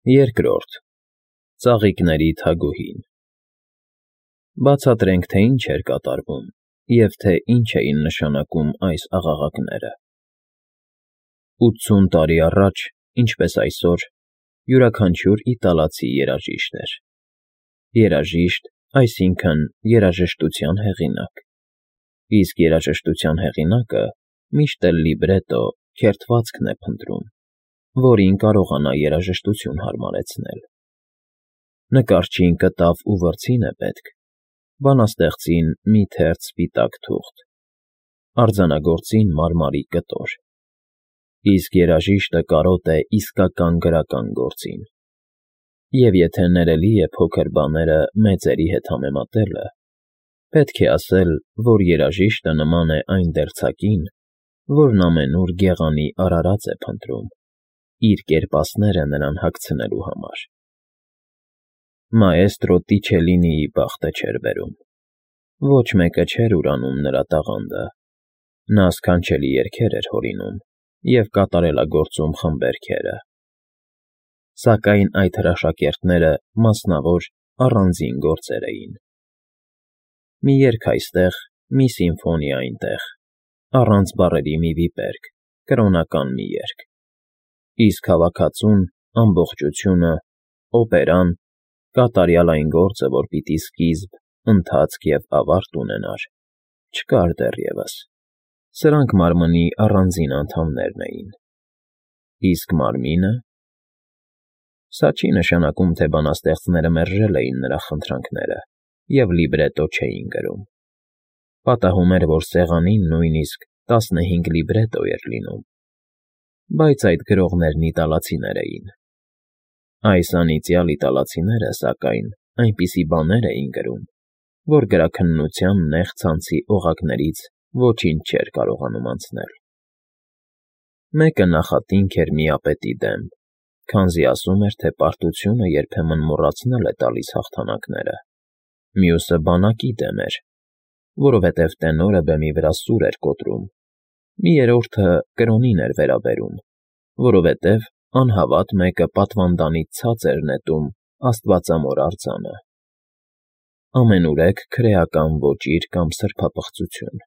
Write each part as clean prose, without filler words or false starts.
Երկրորդ ծաղիկների թագուհին։ Բացատրենք, թե ինչ էր կատարվում և թե ինչ էին նշանակում այս աղաղակները։ 80 տարի առաջ, ինչպես այսօր, յուրաքանչյուր իտալացի երաժիշտ էր։ Երաժիշտ, այսինքն երաժշտության հեղինակ։ Իսկ երաժշտության հեղինակը միշտ էլ լիբրետո, քերթվածքն է փնտրում, որին կարողանա երաժշտություն հարմարեցնել։ Նկարչին կտավ ու վրձին է պետք, բանաստեղծին մի թերթ սպիտակ թուղթ, արձանագործին մարմարի կտոր, իսկ երաժիշտը կարոտ է իսկական գրական գործին։ Եվ եթե ներելի է փոքր բաները մեծերի հետ համեմատելը, պետք է ասել, որ երաժիշտը նման է այն դերձակին, որն ամենուր գեղանի արարած է փնտրում, իր կերպասները նրան հագցնելու համար։ Մաեստրո Տիչելինիի բախտը չէր բերում։ Ոչ մեկը չէր ուրանում նրա տաղանդը։ Նա սքանչելի երգեր էր հորինում և կատարելագործում խմբերգերը։ Սակայն այդ հրաշակերտները մասնավոր, առանձին գործեր էին։ Մի երգ այստեղ, մի սիմֆոնիա այնտեղ, առանց բառերի մի վիպերգ, կրոնական մի երգ։ Իսկ հավաքածուն, ամբողջությունը, օպերան, կատարյալ այն գործը, որ պիտի սկիզբ, ընթացք և ավարտ ունենար, չկար դեռևս։ Սրանք մարմնի առանձին անդամներն էին։ Իսկ մարմինը… Սա չի նշանակում, թե բանաստեղծները մերժել էին նրա խնդրանքները և լիբրետո չէին գրում։ Պատահում էր, որ սեղանին նույնիսկ 15 լիբրետո էր լինում։ Բայց այդ գրողներն իտալացիներ էին։ Այս անիծյալ իտալացիները, սակայն, այնպիսի բաներ էին գրում, որ գրաքննության նեղ ցանցի օղակներից ոչինչ չէր կարողանում անցնել։ Մեկը նախատինք էր միապետի դեմ, քանզի ասում էր, թե պարտությունը երբեմն մոռացնել է տալիս հաղթանակները։ Մյուսը բանակի դեմ էր, որովհետև տենորը բեմի վրա սուր էր կոտրում։ Մի երրորդը կրոնին էր վերաբերում, որովհետև անհավատ մեկը պատվանդանից ցած էր նետում աստվածամոր արձանը։ Ամենուրեք քրեական ոճիր կամ սրբապղծություն։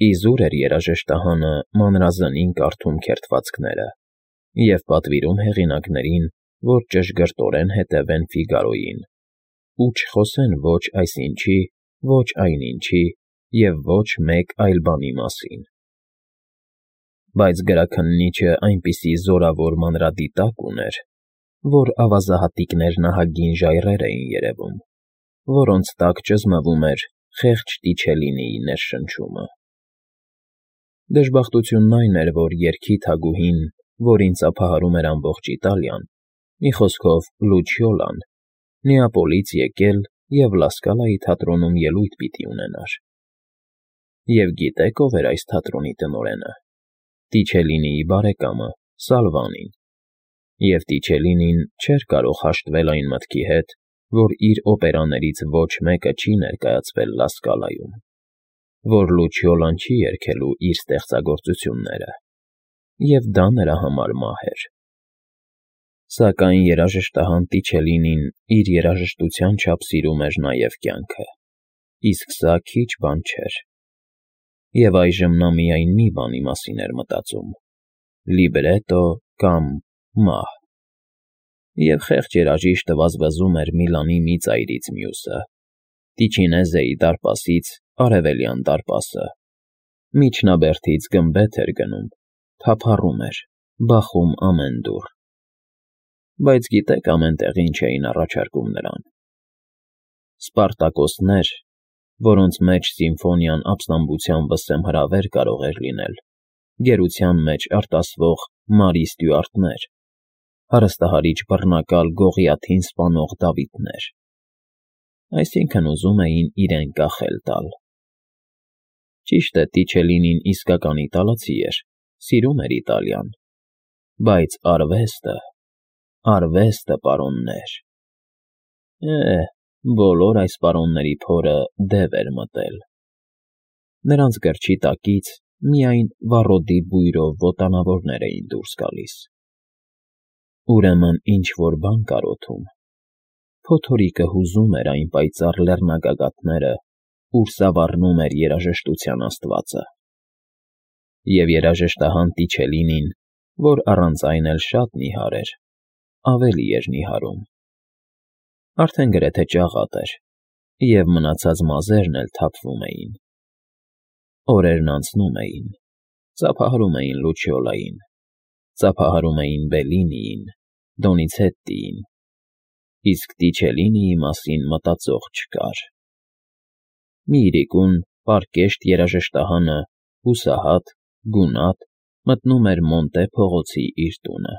Իզուր էր երաժշտահանը մանրազնին կարդում քերթվածքները և պատվիրում հեղինակներին, որ ճշգրտորեն հետևեն Ֆիգարոյին ու չխոսեն ոչ այսինչի, ոչ այնինչի և ոչ մեկ այլ բանի մասին։ Բայց գրաքննիչը այնպիսի զորավոր մանրադիտակ ուներ, որ ավազահատիկներն ահագին ժայռեր էին երևում, որոնց տակ ճզմվում էր խեղճ Տիչելինիի ներշնչումը։ Դժբախտությունն այն էր, որ երգի թագուհին, որին ծափահարում էր ամբողջ Իտալիան, մի խոսքով Լուչիոլան, Նեապոլից եկել և Լասկալայի թատրոնում ելույթ պիտի ունենար։ Եվ գիտե՞ք ով էր այս թատրոնի տնօրենը։ Տիչելինիի բարեկամը Սալվանին։ Եվ Տիչելինին չէր կարող հաշտվել այն մտքի հետ, որ իր օպերաներից ոչ մեկը չի ներկայացվել Լասկալայում, որ Լուչիոլան չի երգելու իր ստեղծագործությունները, և դա նրա համար մահ էր։ Սակայն երաժշտահան Տիչելինին իր երաժշտության չափ սիրում էր նաև կյանքը, իսկ սա քիչ բան չէր։ Եվ այժմ նա միայն մի բանի մասին էր մտածում՝ լիբրետո կամ մահ։ Եվ խեղճ երաժիշտը վազվզում էր Միլանի մի ծայրից մյուսը, Տիչինեզեի դարպասից Արևելյան դարպասը, միջնաբերդից գմբեթ էր գնում, թափառում էր, բախում ամեն դուռ։ Բայց գիտե՞ք ամեն տեղ ինչ էին առաջարկում նրան։ Սպարտակոսներ, որոնց մեջ սիմֆոնիան ապստամբության վսեմ հրավեր կարող էր լինել, գերության մեջ արտասվող Մարի Ստյուարտներ, հարստահարիչ բռնակալ Գողիաթին սպանող Դավիթներ։ Այսինքն ուզում էին իրեն կախել տալ։ Ճիշտ է, Տիչելինին իսկական իտալացի էր, սիրում էր Իտալիան, բայց արվեստը, պարոններ… Բոլոր այս պարոնների փորը դև էր մտել։ Նրանց գրչի տակից միայն վառոդի բույրով ոտանավորներ էին դուրս գալիս։ Ուրեմն ինչ-որ բան կար օդում։ Փոթորիկը հուզում էր այն պայծառ լեռնագագաթները, ուր սավառնում էր երաժշտության աստվածը։ Եվ երաժշտահան Տիչելինին, որ առանց այն էլ շատ նիհար էր, ավելի էր նիհարում։ Արդեն գրեթե ճաղատ էր, և մնացած մազերն էլ թափվում էին։ Օրերն անցնում էին, ծափահարում էին Լուչիոլային, ծափահարում էին Բելլինիին, Դոնիցետտիին, իսկ Տիչելինիի մասին մտածող չկար։ Մի իրիկուն պարկեշտ երաժշտահանը, հուսահատ, գունատ, մտնում էր Մոնտե փողոցի իր տունը,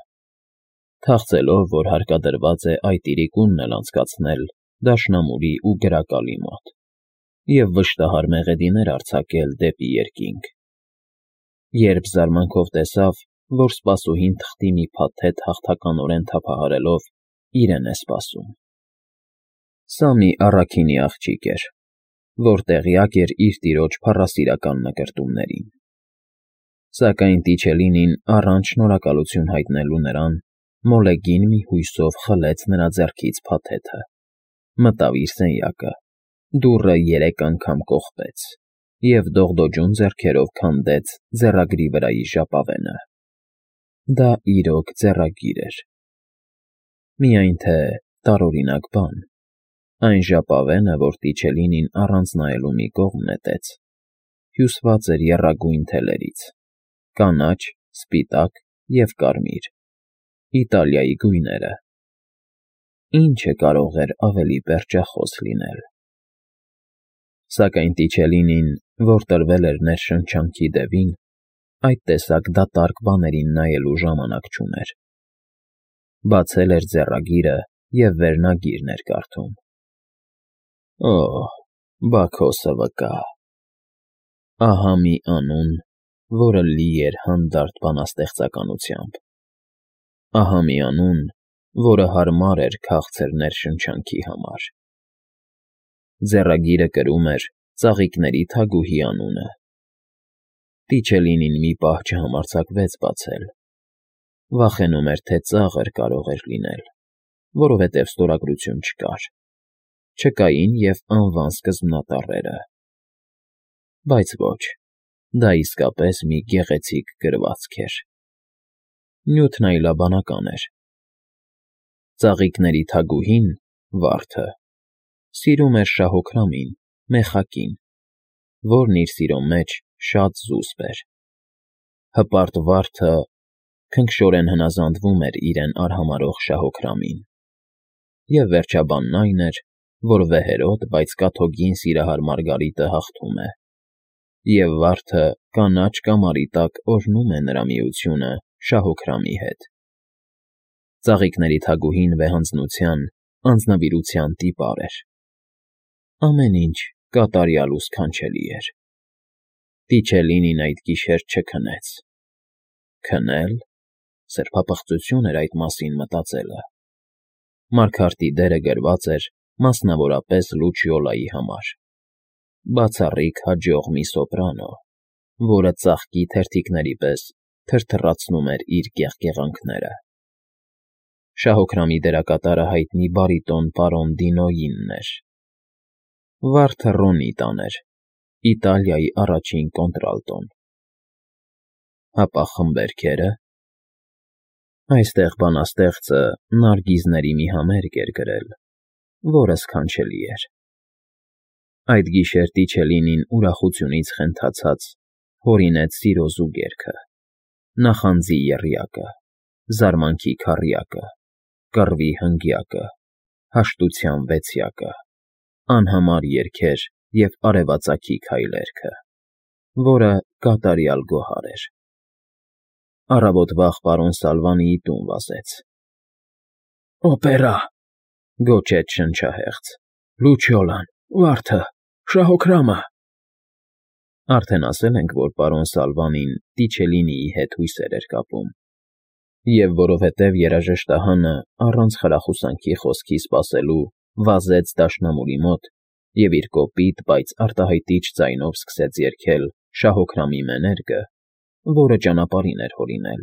թախծելով, որ հարկադրված է այդ իրիկունն էլ անցկացնել դաշնամուրի ու գրակալի մոտ և վշտահար մեղեդիներ արձակել դեպի երկինք, երբ զարմանքով տեսավ, որ սպասուհին թղթի մի փաթեթ հաղթականորեն թափահարելով իրեն է սպասում։ Սա մի առաքինի աղջիկ էր, որ տեղյակ էր իր տիրոջ փառասիրական նկրտումներին։ Սակայն Տիչելինին առանց շնորհակալություն հայտնելու նրան, մոլեգին մի հույսով խլեց նրա ձեռքից փաթեթը, մտավ իր սենյակը, դուռը 3 անգամ կողպեց և դողդոջուն ձեռքերով քանդեց ձեռագրի վրայի ժապավենը։ Դա իրոք ձեռագիր էր։ Միայն թե տարօրինակ բան, այն ժապավենը, որ Տիչելինին առանց նայելու մի կողմ նետեց, հյուսված էր եռագույն թելերից՝ կանաչ, սպիտակ և կարմիր, Իտալիայի գույները։ Ինչը կարող էր ավելի պերճախոս լինել։ Սակայն Տիչելինին, որ տրվել էր ներշնչանքի դևին, այդ տեսակ դատարկ բաներին նայելու ժամանակ չուներ։ Բացել էր ձեռագիրը և վերնագիրն էր կարդում։ Օհ, Բաքոսը վկա… Ահա մի անուն, որը լի էր հանդարտ բանաստեղծականությամբ։ Ահա մի անուն, որը հարմար էր քաղցր ներշնչանքի համար։ Ձեռագիրը կրում էր Ծաղիկների թագուհի անունը։ Տիչելինին մի պահ չհամարձակվեց բացել։ Վախենում էր, թե ծաղր կարող էր լինել, որովհետև ստորագրություն չկար։ Չկային և անվան սկզբնատառերը։ Բայց ոչ, դա իսկապես մի գեղեցիկ գրվածք էր։ Նյութն այլաբանական էր։ Ծաղիկների թագուհին՝ վարդը, սիրում էր շահոքրամին, մեխակին, որն իր սիրո մեջ շատ զուսպ էր։ Հպարտ վարդը քնքշորեն հնազանդվում էր իրեն արհամարհող շահոքրամին։ Եվ վերջաբանն այն էր, որ վեհերոտ, բայց կաթոկին սիրահար Մարգարիտը հաղթում է, և վարդը կանաչ կամարի տակ օրհնում է նրա միությունը շահոքրամի հետ։ Ծաղիկների թագուհին վեհանձնության, անձնվիրության տիպար էր։ Ամեն ինչ կատարյալ ու սքանչելի էր։ Տիչելինին այդ գիշեր չքնեց։ Քնել… սրբապղծություն էր այդ մասին մտածելը։ Մարգարտի դերը գրված էր մասնավորապես Լուչիոլայի համար։ Բացառիկ հաջող մի սոպրանո, որը ծաղկի թերթիկների պես թրթռացնում էր իր գեղգեղանքները։ Շահոքրամի դերակատարը հայտնի բարիտոն պարոն Դինոյինն էր։ Վարդը Ռոնի տաներ, Իտալիայի առաջին կոնտրալտոն։ Հապա խմբերգերը… Այստեղ բանաստեղծը նարգիզների մի համերգ էր գրել, որը սքանչելի էր։ Այդ գիշեր Տիչելինին ուրախությունից խենթացած հորինեց սիրո զուգերքը, նախանձի եռյակը, զարմանքի քառյակը, կռվի հնգյակը, հաշտության վեցյակը, անհամար երգեր և արևածագի քայլերքը, որը կատարյալ գոհար էր։ Առավոտ վաղ պարոն Սալվանիի տուն վազեց։ «Օպերա!» գոչեց շնչահեղձ։ «Լուչիոլան, վարդը, շահոքրամը…» Արդեն ասել ենք, որ պարոն Սալվանին Տիչելինիի հետ հույսեր էր կապում, և որովհետև երաժշտահանը առանց խրախուսանքի խոսքի սպասելու վազեց դաշնամուրի մոտ և իր կոպիտ, բայց արտահայտիչ ձայնով սկսեց երգել շահոքրամի մեներգը, որը ճանապարհին էր հորինել,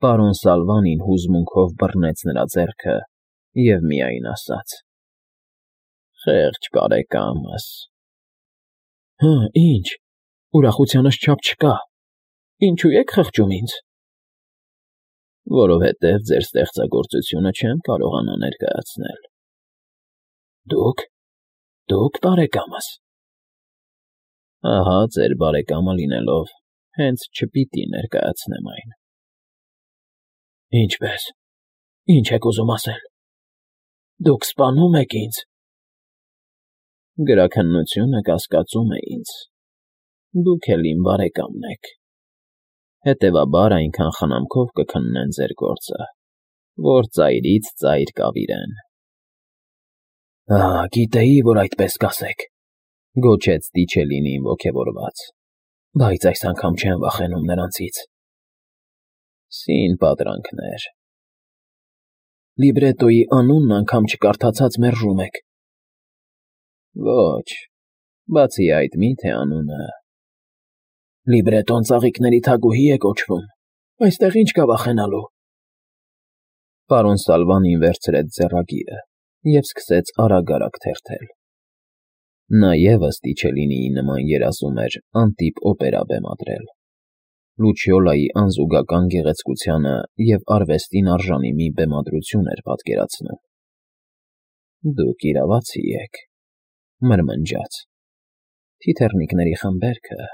Պարոն Սալվանին հուզմունքով բռնեց նրա ձեռքը և միայն ասաց. «Խեղճ բարեկամս»։ Հը, ինչ, ուրախությանս չափ չկա, ինչու եք խղճում ինձ։ Որովհետև ձեր ստեղծագործությունը չեմ կարողանա ներկայացնել։ Դուք բարեկամս։ Ահա ձեր բարեկամը լինելով, հենց չպիտի ներկայացնեմ այն։ Ինչպե՞ս, ինչ եք ուզում ասել։ Դուք սպանում եք ինձ։ Գրաքննությունը կասկածում է ինձ։ Դուք էլ իմ բարեկամն եք։ Հետևաբար այնքան խնամքով կքննեն ձեր գործը, որ ծայրից ծայր կավիրեն։ Գիտեի, որ այդպես կասեք, գոչեց Տիչելինին ոգևորված, բայց այս անգամ չեմ վախենում նրանցից։ Սին պատրանքներ։ Լիբրետոյի անունն անգամ չկարդացած մերժում եք։ Ոչ, բացի այդ միթե անունը։ Լիբրետոն ծաղիկների թագուհի է կոչվում, այստեղ ինչ կա վախենալու։ Պարոն Սալվանին վերցրեց ձեռագիրը և սկսեց արագ-արագ թերթել։ Նա ևս Տիչելինիի նման երազում էր անտիպ օպերա բեմադրել։ Լուչիոլայի անզուգական գեղեցկությանը և արվեստին արժանի մի բեմադրություն էր պատկերացնում։ Դուք իրավացի եք, մրմնջաց։ Թիթեռնիկների խմբերքը։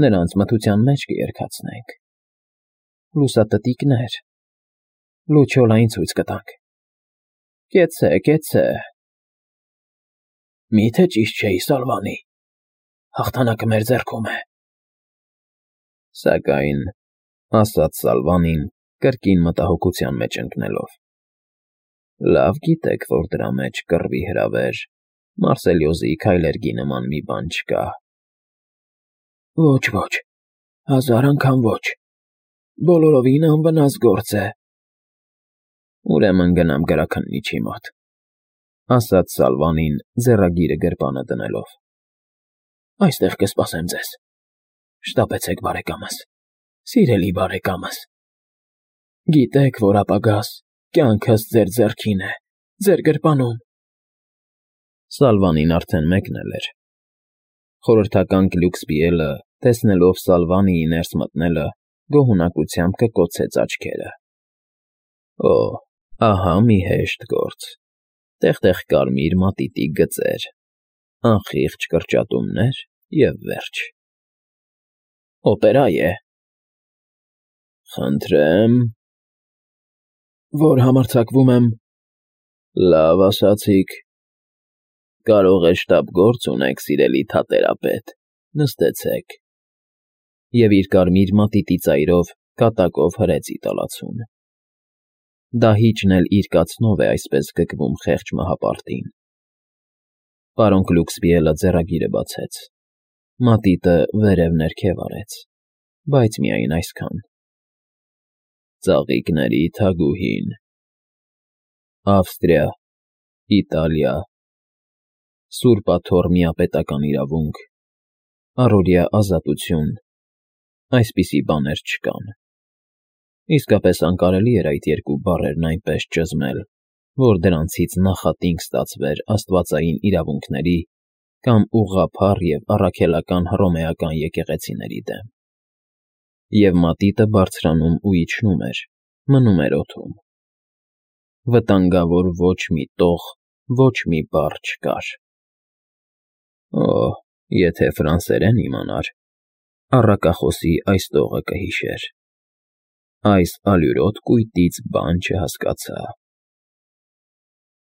Նրանց մթության մեջ կերկացնենք։ Լուսատտիկներ։ Լուչիոլային ցույց կտանք։ Կեցցե։ Միթե ճիշտ չէի, Սալվանի։ Հաղթանակը մեր ձեռքում է։ Սակայն, ասաց Սալվանին, կրկին մտահոգության մեջ ընկնելով։ Լավ գիտեք, որ դրա մեջ կռվի հրավեր, Մարսելիոզի քայլերգի նման մի բան չկա։ Ոչ, 1000 անգամ ոչ։ Բոլորովին անվնաս գործ է։ Ուրեմն գնամ գրաքննիչի մոտ, ասաց Սալվանին, ձեռագիրը գրպանը դնելով։ Այստեղ կսպասեմ ձեզ։ Շտապեցեք, բարեկամս, սիրելի բարեկամս։ Գիտեք, որ ապագաս, կյանքս ձեր ձեռքին է, ձեր գրպանում։ Սալվանին արդեն մեկնել էր։ Խորհրդական Գլյուքսպիելը, տեսնելով Սալվանիի ներս մտնելը, գոհունակությամբ կկոցեց աչքերը։ Օ, ահա մի հեշտ գործ։ Տեղ-տեղ կարմիր մատիտի գծեր, անխիղճ կրճատումներ և վերջ։ Օպերա է։ Խնդրեմ։ Որ համարձակվում եմ։ Լավ ասացիք։ Կարող է շտապ գործ ունեք, սիրելի թատերապետ, նստեցեք։ Եվ իր կարմիր մատիտի ծայրով կատակով հրեց իտալացուն։ Դահիճն էլ իր կացնով է այսպես գկվում խեղճ մահապարտին։ Պարոն Գլյուքսպիելը ձեռագիրը բացեց։ Մատիտը վերև-ներքև արեց, բայց միայն այսքան։ Ծաղիկների թագուհին։ Ավստրիա, Իտալիա, Սուրբ Աթոռ միապետական իրավունք, առօրյա ազատություն, այսպիսի բաներ չկան։ Իսկապես անկարելի էր այդ երկու բառերն այնպես ճզմել, որ դրանցից նախատինք ստացվեր աստվածային իրավունքների կամ ուղղափառ և առաքելական հռոմեական եկեղեցիների դեմ։ Եվ մատիտը բարձրանում ու իջնում էր, մնում էր օդում։ Վտանգավոր ոչ մի տող, ոչ մի բառ չկար։ Օ, եթե ֆրանսերեն իմանար, առակախոսի այս տողը կհիշեր։ Այս ալյուրոտ կույտից բան չհասկացա։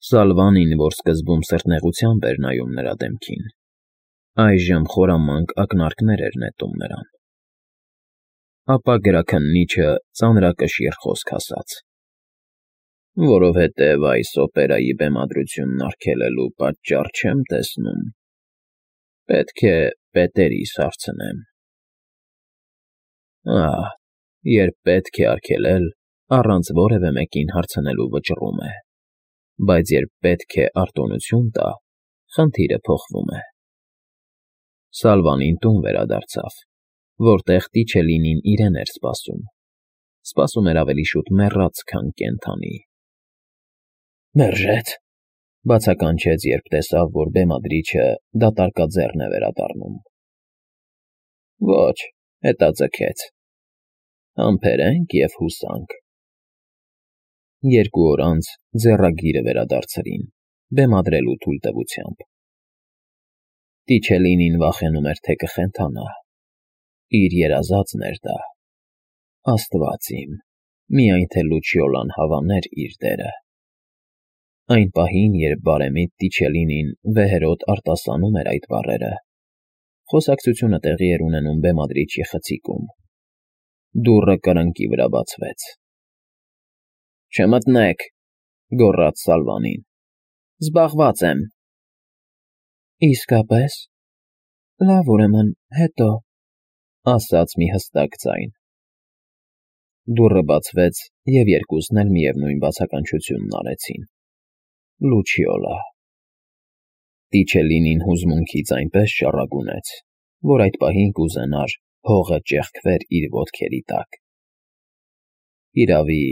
Սալվանին, որ սկզբում սրտնեղությամբ էր նայում նրա դեմքին, այժմ խորամանկ ակնարկներ էր նետում նրան։ Ապա գրաքննիչը ծանրակշիռ խոսք ասաց. Որովհետև այս օպերայի բեմադրությունն արգելելու պատճառ չեմ տեսնում։ Պետք է պետերիս հարցնեմ։ Երբ պետք է արգելել, առանց որևէ մեկին հարցնելու վճռում է, բայց երբ պետք է արտոնություն տա, խնդիրը փոխվում է։ Սալվանին տուն վերադարձավ, որտեղ Տիչելինին իրեն էր սպասում։ սպասում էր ավելի շուտ մեռած, քան կենդանի։ «Մերժեց», բացականչեց, երբ տեսավ, որ բեմադրիչը դատարկաձեռն է վերադառնում։ «Ոչ», հետաձգեց, «համբերենք և հուսանք»։ 2 օր անց ձեռագիրը վերադարձրին, բեմադրելու թույլտվությամբ։ Տիչելինին վախենում էր, թե կխենթանա։ Իր երազածն էր դա։ Աստված իմ, միայն թե Լուչիոլան հավաներ իր դերը։ Այն պահին, երբ բարեմիտ Տիչելինին վեհերոտ արտասանում էր այդ բառերը, խոսակցությունը տեղի էր ունենում բեմադրիչի խցիկում։ Դուռը կրկնակի վրա բացվեց։ «Չմտնեք», գոռաց Սալվանին։ «Զբաղված եմ»։ «Իսկապես, լավ, ուրեմն հետո», ասաց մի հստակ ձայն։ Դուռը բացվեց, և երկուսն էլ միևնույն բացականչությունն արեցին։ Լուչիոլա։ Տիչելինին հուզմունքից այնպես շառագունեց, որ այդ պահին կուզենար հողը ճեղքվեր իր ոտքերի տակ։ Իրավի,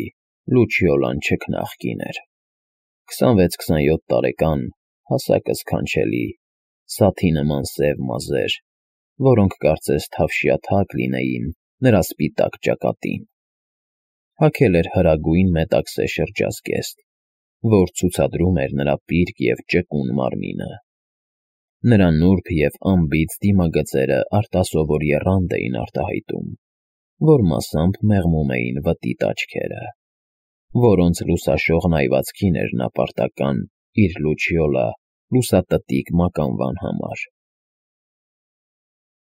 Լուչիոլան չքնաղ կին էր։ 26-27 տարեկան, հասակը սքանչելի, սաթի նման սև մազեր, որոնք կարծես թավշյաթակ լինեին նրա սպիտակ ճակատին։ Հագել էր հրագույն մետաքսե շրջազգեստ, որ ցուցադրում էր նրա պիրկ և ճկուն մարմինը։ Նրա նուրբ և անբիծ դիմագծերը արտասովոր եռանդ էին արտահայտում, որ մասամբ մեղմում էին վտիտ աչքերը, որոնց լուսաշողն այվածքին էր նա պարտական իր Լուչիոլա լուսատտիկ մականվան համար։